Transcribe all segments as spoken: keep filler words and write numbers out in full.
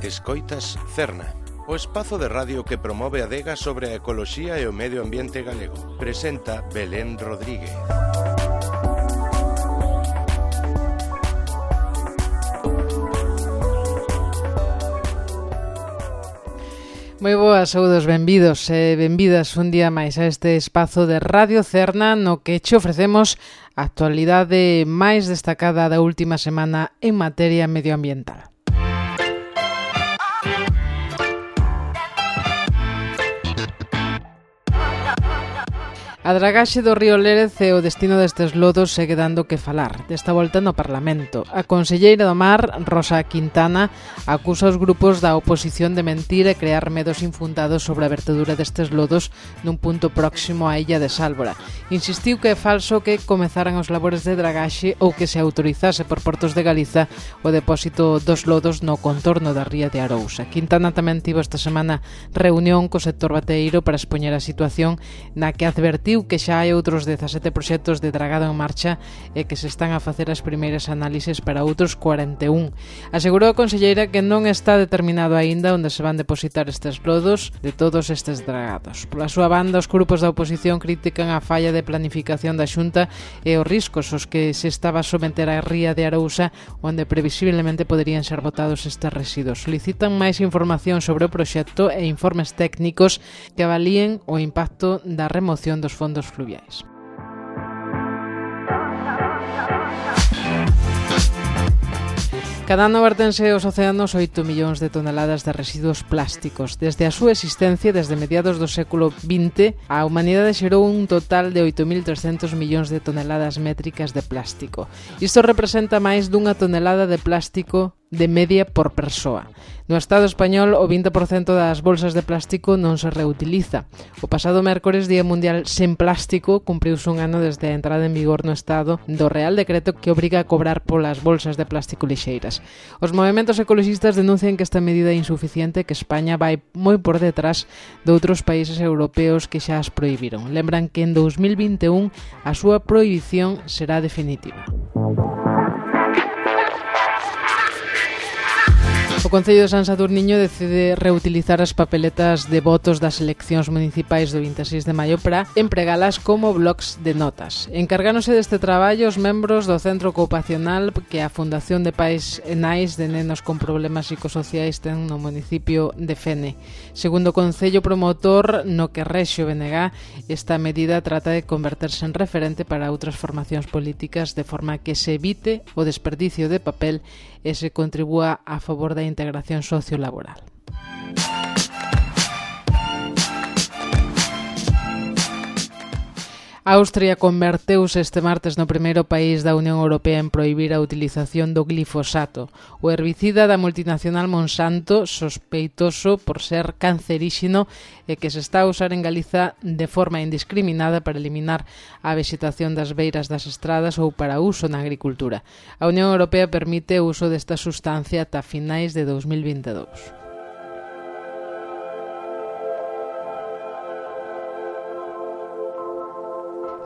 Escoitas Cerna, o espazo de radio que promove a adega sobre a ecoloxía e o medio ambiente galego. Presenta Belén Rodríguez. Moi boas, saúdos, benvidos e benvidas un día máis a este espazo de Radio Cerna no que che ofrecemos a actualidade máis destacada da última semana en materia medioambiental. A dragaxe do río Lérez e o destino destes lodos segue dando que falar, desta volta no Parlamento. A conselleira do Mar, Rosa Quintana, acusa os grupos da oposición de mentir e crear medos infundados sobre a vertedura destes lodos nun punto próximo á illa de Sálvora. Insistiu que é falso que comezaran os labores de dragaxe ou que se autorizase por Portos de Galiza o depósito dos lodos no contorno da ría de Arousa. Quintana tamén tivo esta semana reunión co sector bateeiro para expoñer a situación na que advertiu que xa hai outros dezasete proxectos de dragado en marcha e que se están a facer as primeiras análises para outros cuarenta e un. Asegurou a conselleira que non está determinado aínda onde se van depositar estes lodos de todos estes dragados. Pola súa banda, os grupos da oposición critican a falla de planificación da Xunta e os riscos aos que se estaba a someter a ría de Arousa, onde previsiblemente poderían ser botados estes residuos. Solicitan máis información sobre o proxecto e informes técnicos que avalíen o impacto da remoción dos fondos fondos fluviais. Cada ano vertense aos océanos oito millóns de toneladas de residuos plásticos. Desde a súa existencia, desde mediados do século vinte, a humanidade xerou un total de oito mil trescentos millóns de toneladas métricas de plástico. Isto representa máis dunha tonelada de plástico de media por persoa. No Estado español, o vinte por cento das bolsas de plástico non se reutiliza. O pasado mércores, Día Mundial Sen Plástico, cumpriuse un ano desde a entrada en vigor no Estado do Real Decreto que obriga a cobrar polas bolsas de plástico lixeiras. Os movementos ecoloxistas denuncian que esta medida é insuficiente e que España vai moi por detrás de outros países europeos que xa as prohibiron. Lembran que en dos mil vinte e un a súa prohibición será definitiva. O Concello de San Sadurniño decide reutilizar as papeletas de votos das eleccións municipais do vinte e seis de maio para empregalas como blocs de notas. Encargáronse deste traballo os membros do Centro Ocupacional que a Fundación de Pais e Nais de Nenos con Problemas Psicosociais ten no municipio de Fene. Segundo o Concello promotor, no que rexe o B N G, esta medida trata de converterse en referente para outras formacións políticas de forma que se evite o desperdicio de papel e se contribúa a favor da integración sociolaboral. Austria converteuse este martes no primeiro país da Unión Europea en prohibir a utilización do glifosato, o herbicida da multinacional Monsanto, sospeitoso por ser canceríxeno e que se está a usar en Galiza de forma indiscriminada para eliminar a vexetación das beiras das estradas ou para uso na agricultura. A Unión Europea permite o uso desta sustancia ata finais de dos mil vinte e dous.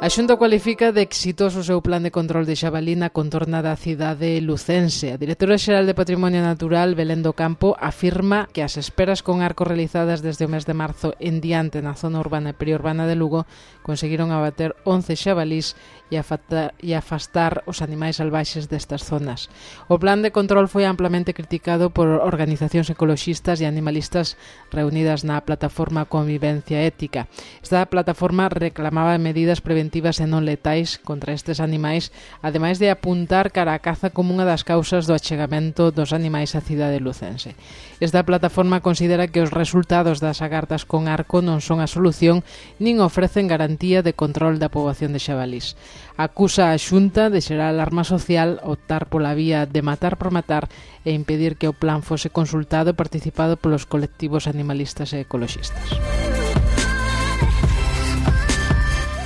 A Xunta cualifica de exitoso o seu plan de control de xabalí na contorna da cidade lucense. A directora xeral de Patrimonio Natural, Belén do Campo, afirma que as esperas con arco realizadas desde o mes de marzo en diante na zona urbana e periurbana de Lugo conseguiron abater once xabalís e afastar, e afastar os animais salvaxes destas zonas. O plan de control foi amplamente criticado por organizacións ecoloxistas e animalistas reunidas na plataforma Convivencia Ética. Esta plataforma reclamaba medidas preventivas e non letais contra estes animais, ademais de apuntar cara a caza como unha das causas do achegamento dos animais á cidade lucense. Esta plataforma considera que os resultados das agardas con arco non son a solución nin ofrecen garantía de control da poboación de xabalís. Acusa a Xunta de xerar alarma social, optar pola vía de matar por matar e impedir que o plan fose consultado e participado polos colectivos animalistas e ecoloxistas.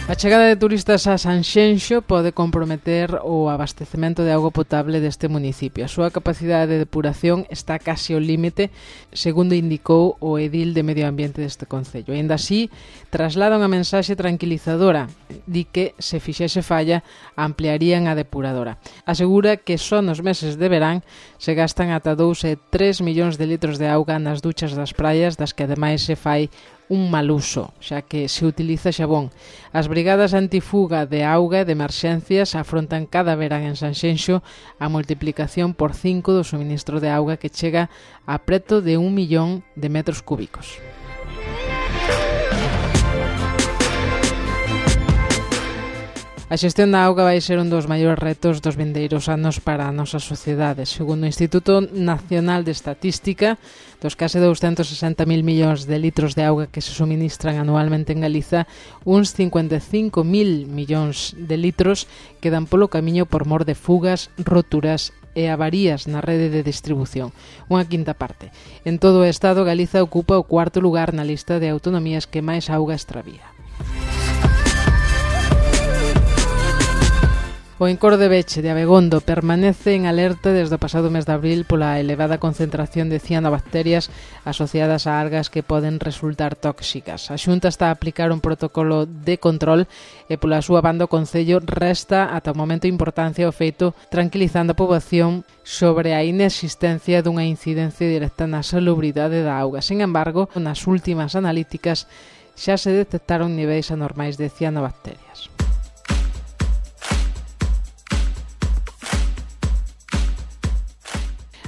A chegada de turistas a Sanxenxo pode comprometer o abastecemento de auga potable deste municipio. A súa capacidade de depuración está case ao límite, segundo indicou o edil de Medio Ambiente deste concello. E ainda así, traslada unha mensaxe tranquilizadora, di que, se fixese falla, ampliarían a depuradora. Asegura que só nos meses de verán se gastan ata dous e tres millóns de litros de auga nas duchas das praias, das que ademais se fai un mal uso, xa que se utiliza xabón. As brigadas antifuga de auga e de emerxencias afrontan cada verán en Sanxenxo a multiplicación por cinco do suministro de auga que chega a preto de un millón de metros cúbicos. A xestión da auga vai ser un dos maiores retos dos vindeiros anos para a nosa sociedade. Segundo o Instituto Nacional de Estatística, dos case douscentos sesenta mil millóns de litros de auga que se suministran anualmente en Galiza, uns cincuenta e cinco mil millóns de litros quedan polo camiño por mor de fugas, roturas e avarías na rede de distribución, unha quinta parte. En todo o Estado, Galiza ocupa o cuarto lugar na lista de autonomías que máis auga extravía. O Encoro de Beche de Abegondo permanece en alerta desde o pasado mes de abril pola elevada concentración de cianobacterias asociadas a algas que poden resultar tóxicas. A Xunta está a aplicar un protocolo de control e pola súa banda o Concello resta ata o momento importancia ao feito, tranquilizando a poboación sobre a inexistencia dunha incidencia directa na salubridade da auga. Sin embargo, nas últimas analíticas xa se detectaron niveis anormais de cianobacterias.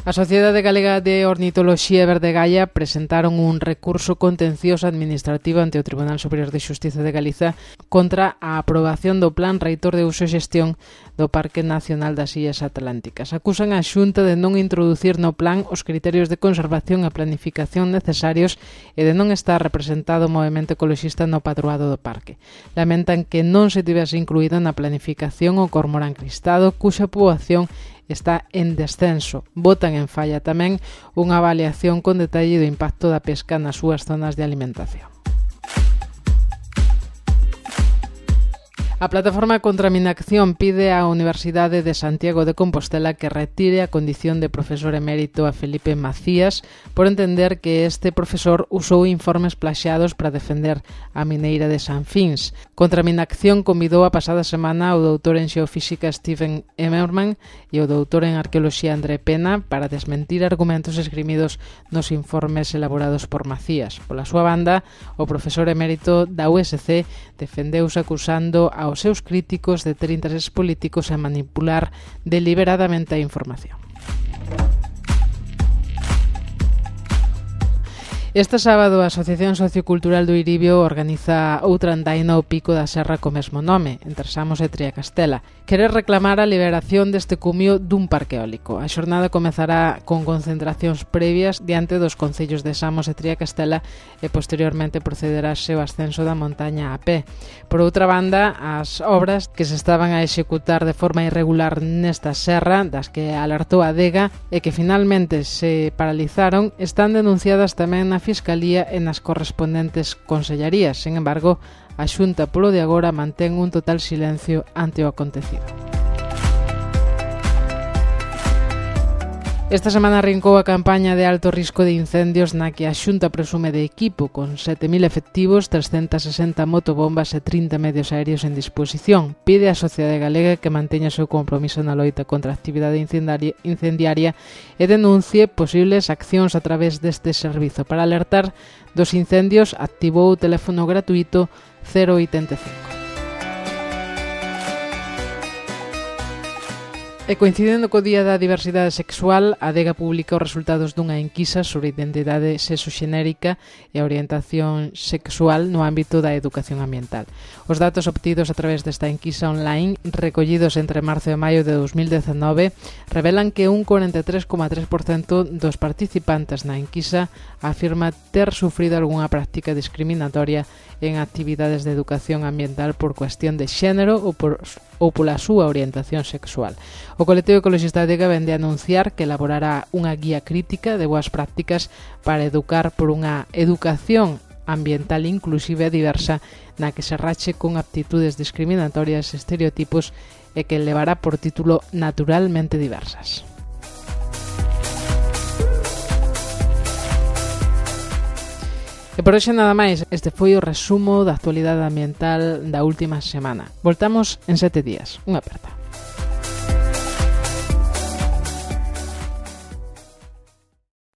A Sociedade Galega de Ornitoloxía e Verdegaia presentaron un recurso contencioso administrativo ante o Tribunal Superior de Xustiza de Galiza contra a aprobación do Plan Reitor de Uso e Xestión do Parque Nacional das Illas Atlánticas. Acusan a Xunta de non introducir no plan os criterios de conservación e planificación necesarios e de non estar representado o movemento ecoloxista no padroado do parque. Lamentan que non se tivese incluído na planificación o cormorán cristado, cuxa poboación está en descenso. Botan en falla tamén unha avaliación con detalle do impacto da pesca nas súas zonas de alimentación. A plataforma contra a minacción pide á Universidade de Santiago de Compostela que retire a condición de profesor emérito a Felipe Macías por entender que este profesor usou informes plaxados para defender a mineira de Sanfins. Contra a minacción convidou a pasada semana o doutor en xeofísica Stephen Emmerman e o doutor en arqueoloxía André Pena para desmentir argumentos esgrimidos nos informes elaborados por Macías. Pola súa banda, o profesor emérito da U S C defendeuse acusando a aos seus críticos de ter intereses políticos e manipular deliberadamente a información. Este sábado a Asociación Sociocultural do Iribio organiza outra andaina ao Pico da Serra co mesmo nome, entre Samos e Triacastela. Quere reclamar a liberación deste cumio dun parque eólico. A xornada comezará con concentracións previas diante dos concellos de Samos e Triacastela e posteriormente procederase o ascenso da montaña a pé. Por outra banda, as obras que se estaban a executar de forma irregular nesta serra, das que alertou a Adega e que finalmente se paralizaron, están denunciadas tamén na Fiscalía e nas correspondentes consellarías. Sin embargo, a Xunta polo de agora mantén un total silencio ante o acontecido. Esta semana arrancou a campaña de alto risco de incendios na que a Xunta presume de equipo con sete mil efectivos, trescentas sesenta motobombas e trinta medios aéreos en disposición. Pide á sociedade galega que manteña o seu compromiso na loita contra a actividade incendiaria e denuncie posibles accións a través deste servizo. Para alertar dos incendios, activou o teléfono gratuito cero oitenta e cinco. E coincidendo co Día da Diversidade Sexual, a Adega publica os resultados dunha enquisa sobre identidade sexoxenérica e a orientación sexual no ámbito da educación ambiental. Os datos obtidos a través desta enquisa online, recollidos entre marzo e maio de dos mil dezenove, revelan que un cuarenta e tres coma tres por cento dos participantes na enquisa afirma ter sufrido algunha práctica discriminatoria en actividades de educación ambiental por cuestión de xénero ou, por, ou pola súa orientación sexual. O colectivo ecologista Adega vende a anunciar que elaborará unha guía crítica de boas prácticas para educar por unha educación ambiental inclusiva e diversa na que se rache con aptitudes discriminatorias e estereotipos e que levará por título Naturalmente Diversas. E por hoxe nada máis, este foi o resumo da actualidade ambiental da última semana. Voltamos en sete días. Unha aperta.